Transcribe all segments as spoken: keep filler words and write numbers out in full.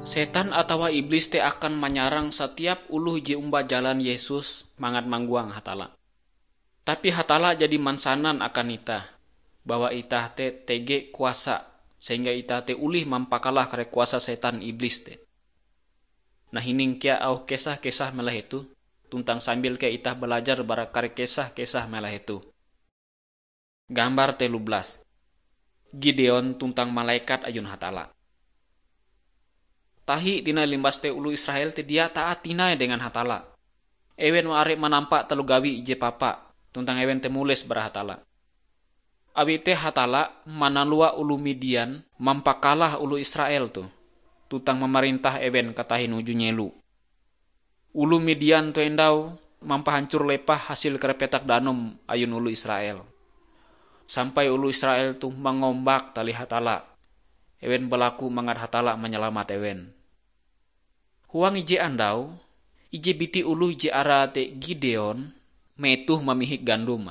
Setan atawa iblis te akan manyarang satiap oloh je omba jalan Yesus mangat manggoang Hatalla. Tapi Hatalla jadi mansanan akan itah bahwa itah te tege kuasa, sehingga itah te olih mampakalah kare kuasa setan iblis te. Nah, hining kea auh kesah-kesah mela hetoh, tuntang sambil kea itah balajar bara kare kesah-kesah mela hetoh. Gambar telu belas. Gideon tuntang malekat ayun Hatalla. Tahi tinai limbas te oloh Israel te dia taat tinai dengan Hatalla. Ewen are manampa taloh gawi ije papa, tuntang ewen te mules bara Hatalla. Awi te Hatalla manalua oloh Midian mampakalah oloh Israel toh, tuntang mamarintah ewen katahin uju nyelo. Oloh Midian toh endau mampahancor lepah hasil kare petak danum ayun oloh Israel. Sampai oloh Israel toh mangombak tali Hatalla. Ewen balaku mangat Hatalla manyalamat ewen. Huang ije andau, ije biti oloh je arae te Gideon metoh mamihik gandum.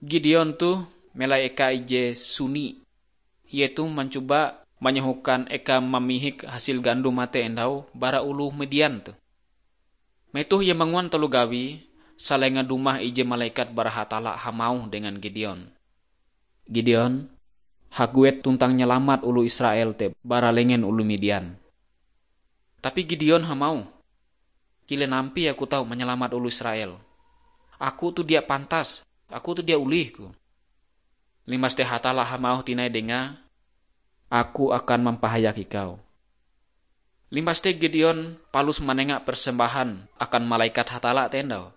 Gideon toh melai eka ije suni. Ie toh mancoba manyohokan eka mamihik hasil gandum te endau bara oloh Midian toh. Metoh ie manguan taloh gawi, salenga dumah ije malekat bara Hatalla hamauh dengan Gideon, "Gideon, haguet tuntang nyalamat oloh Israel te bara lengen oloh Midian." Tapi Gideon hamauh, "Kilen ampie aku tau manyalamat oloh Israel? Aku toh dia pantas, aku toh dia olihku." Limbas te Hatalla hamauh tinai dengae, "Aku akan mampahayak ikau." Limbas te Gideon palus manenga persembahan akan malekat Hatalla te endau.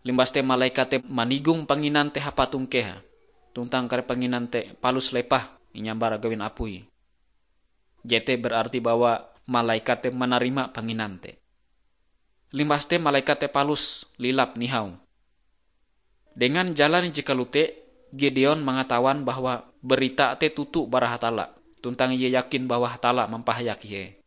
Limbas te malekat te manigong panginan te hapatong keha, tuntang kare panginan te palus lepah inyambar gawin apui. Jete berarti bahwa malekat te manarima panginan te. Limbas te malekat te palus lilap nihau. Dengan jalan je kalote, Gideon mangatawan bahwa berita te toto bara Hatalla, tuntang ie yakin bahwa Hatalla mampahayak ie.